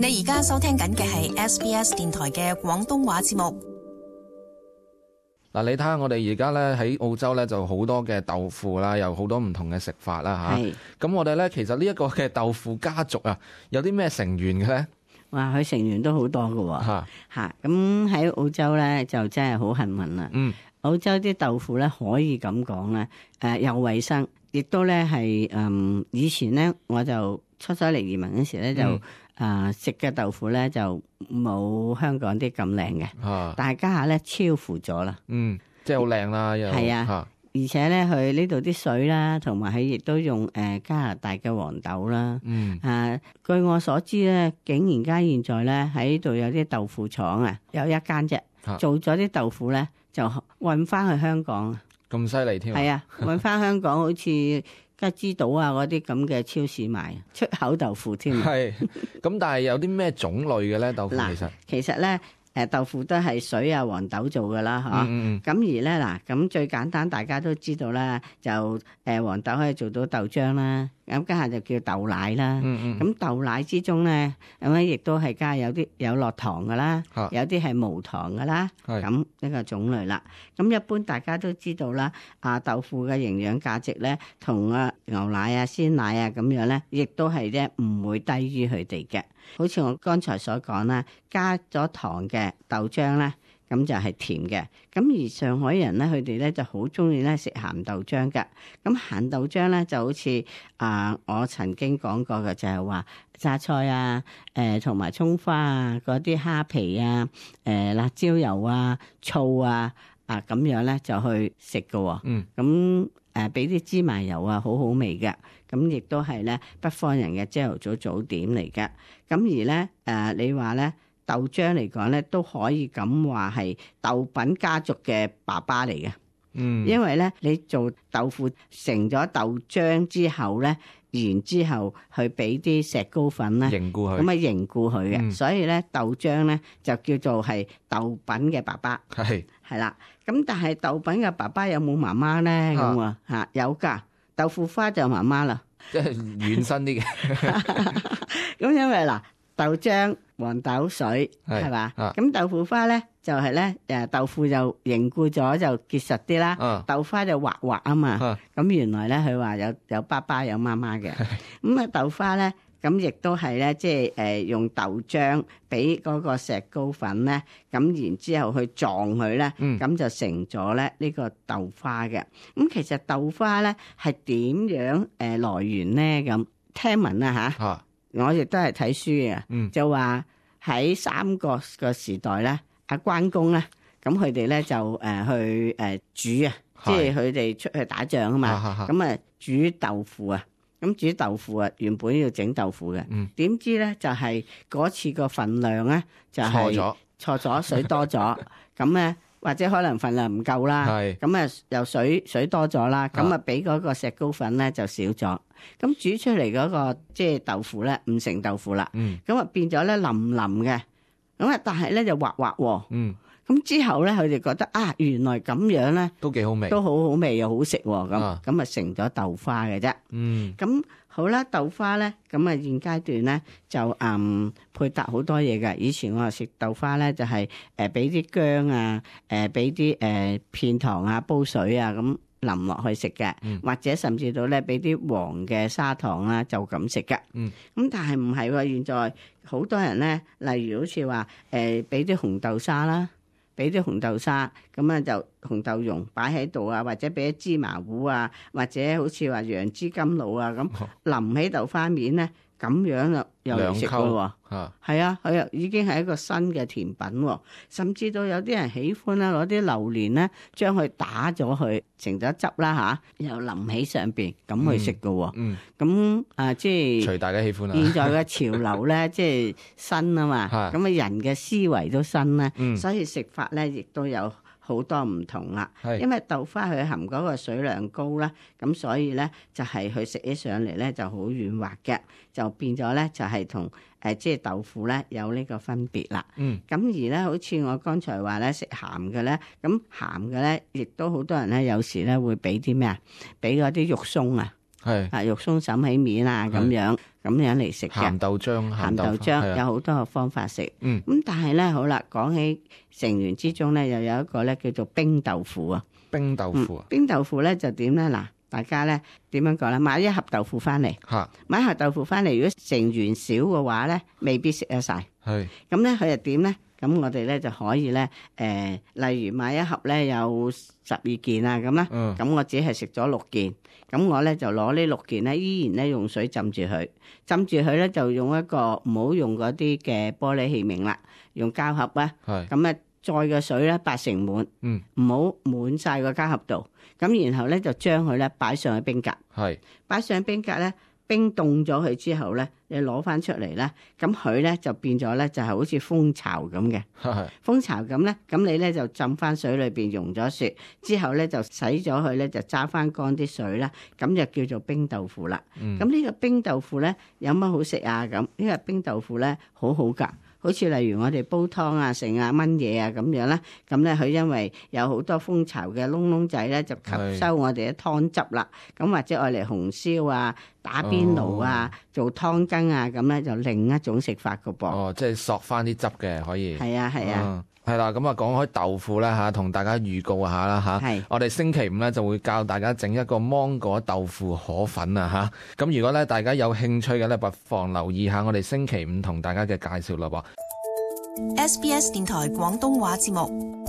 你而家收聽緊嘅係 SBS 電台嘅廣東話節目。嗱，你睇下我哋而家咧喺澳洲咧就好多嘅豆腐啦，有好多唔同嘅食法啦嚇。咁我哋咧其實呢一個嘅豆腐家族啊，有啲咩成員嘅咧？哇！佢成員都好多㗎喎嚇。咁喺澳洲咧就真係好幸運啦。澳洲啲豆腐咧可以咁講咧，又衞生，亦都咧係以前咧我就出咗嚟移民嗰時咧就食嘅豆腐咧就冇香港啲咁靚嘅，但係家下咧超乎咗啦。即係好靚啦，又係啊，而且咧佢呢度啲水啦，同埋佢亦都用加拿大嘅黃豆啦。據我所知咧，竟然間現在咧喺度有啲豆腐廠啊，有一間啫，做咗啲豆腐咧就運翻去香港。咁犀利添？係啊，運翻香港好似吉之島啊嗰啲咁嘅超市賣出口豆腐添。係咁，但係有啲咩種類嘅咧豆腐其實咧豆腐都係水啊黃豆做噶啦嚇。咁而咧嗱，咁最簡單大家都知道啦，就黃豆可以做到豆漿啦。咁家下就叫豆奶啦。咁豆奶之中咧，咁咧亦都係加有啲有落糖噶啦，有啲係無糖噶啦。咁呢個種類啦。咁一般大家都知道啦，豆腐嘅營養價值咧，同牛奶啊、鮮奶啊咁樣咧，亦都係咧唔會低於佢哋嘅。好似我剛才所講啦，加咗糖嘅豆漿咧，咁就係甜嘅。咁而上海人咧，佢哋咧就好中意咧食鹹豆漿㗎。咁鹹豆漿咧就好似我曾經講過嘅，就係話榨菜啊、同埋葱花啊、嗰啲蝦皮啊、辣椒油啊、醋啊咁樣咧就去食㗎。咁俾啲芝麻油啊，好好味嘅。咁亦都係咧北方人嘅朝頭早早點嚟嘅。咁而咧你話咧豆漿嚟講咧，都可以咁話係豆品家族嘅爸爸嚟嘅。因為咧你做豆腐成咗豆漿之後咧，然之後去俾啲石膏粉咧凝固佢，咁啊凝固佢嘅。所以咧豆漿咧就叫做係豆品嘅爸爸。係啦。咁但係豆品嘅爸爸有冇媽媽咧？咁有㗎。豆腐花就媽媽啦，即係軟身啲嘅。咁因為嗱，豆漿、黃豆水係嘛，咁豆腐花咧就係咧豆腐就凝固咗就結實啲啦，豆花就滑滑啊嘛。咁原來咧佢話有爸爸有媽媽嘅。咁豆花咧咁亦都係咧，即係用豆漿俾嗰個石膏粉咧，咁然之後去撞佢咧，咁就成咗咧呢個豆花嘅。咁其實豆花咧係點樣來源咧？咁聽聞啊我亦都係睇書嘅，就話喺三國個時代咧，阿關公咧，咁佢哋咧就去煮啊，即係佢哋出去打仗啊嘛，咁煮豆腐啊。咁煮豆腐啊，原本要整豆腐嘅，點知咧就係嗰次個份量咧就係錯咗，水多咗，咁咧或者可能份量唔夠啦，咁又水多咗啦，咁俾嗰個石膏粉咧就少咗，咁煮出嚟嗰個即係豆腐咧唔成豆腐啦，咁變咗咧腍腍嘅，咁但係咧就滑滑喎。咁之後咧，佢哋覺得原來咁樣咧都幾好味，都好好味又好食喎。咁成咗豆花嘅啫。咁好啦，豆花咧，咁現階段咧就配搭好多嘢㗎。以前我食豆花咧就係俾啲薑啊，俾啲片糖啊，煲水啊咁淋落去食嘅，或者甚至到咧俾啲黃嘅砂糖啦，就咁食嘅。咁但係唔係喎，現在好多人咧，例如好似話俾啲紅豆沙啦。俾啲紅豆沙，咁就紅豆蓉擺喺度啊，或者俾啲芝麻糊啊，或者好似話楊枝甘露啊咁淋喺豆花面咧，咁樣又嚟食咯喎。係啊，佢又已經係一個新嘅甜品喎。甚至到有啲人喜歡咧，攞啲榴蓮咧，將佢打咗佢成咗汁啦又淋喺上邊咁去食噶喎。咁即係隨大家喜歡啦。現在嘅潮流咧，即係新啊嘛，咁人嘅思維都新咧，所以食法咧亦都有好多唔同啦。因為豆花佢含嗰個水量高啦，咁所以咧就係佢食起上嚟咧就好軟滑嘅，就變咗咧就係同即係豆腐咧有呢個分別啦。咁而咧好似我剛才話咧食鹹嘅咧，咁鹹嘅咧亦都好多人咧有時咧會俾啲咩啊？俾嗰啲肉鬆啊。肉鬆沈起面啊咁樣嚟食嘅。鹹豆漿有好多個方法食。咁但係咧好啦，講起成員之中咧，又有一個咧叫做冰豆腐啊。冰豆腐冰豆腐咧就點咧嗱？大家咧點樣講咧？買一盒豆腐翻嚟，買一盒豆腐翻嚟，如果成員少嘅話咧，未必食得晒。咁咧佢又點咧？咁我哋咧就可以咧，例如買一盒咧有12件啊咁啦，咁我只係食咗6件，咁我咧就攞呢6件咧，依然咧用水浸住佢，咧就用一個唔好用嗰啲嘅玻璃器皿啦，用膠盒啊，咁咧載嘅水咧8成滿，唔好滿晒個膠盒度，咁然後咧就將佢咧擺上去冰格，擺上去冰格咧。冰凍咗佢之後咧，你攞翻出嚟咧，咁佢咧就變咗咧，就係好似蜂巢咁嘅。蜂巢咁咧，咁你咧就浸翻水裏邊溶咗雪，之後咧就洗咗佢咧，就揸翻乾啲水啦，咁就叫做冰豆腐啦。咁呢個冰豆腐咧有乜好食啊？咁呢個冰豆腐咧好好㗎。好似例如我哋煲湯啊、剩啊、炆嘢啊咁樣啦，咁咧佢因為有好多蜂巢嘅窿窿仔咧，就吸收我哋嘅湯汁啦。咁或者愛嚟紅燒啊、打邊爐啊、做湯羹啊，咁咧就另一種食法㗎噃。即係索翻啲汁嘅可以。係啊。係啦，咁啊講開豆腐咧嚇，同大家預告下啦嚇。我哋星期5咧就會教大家整一個芒果豆腐河粉啊嚇。咁如果咧大家有興趣嘅咧，不妨留意下我哋星期5同大家嘅介紹咯噃。SBS 電台廣東話節目。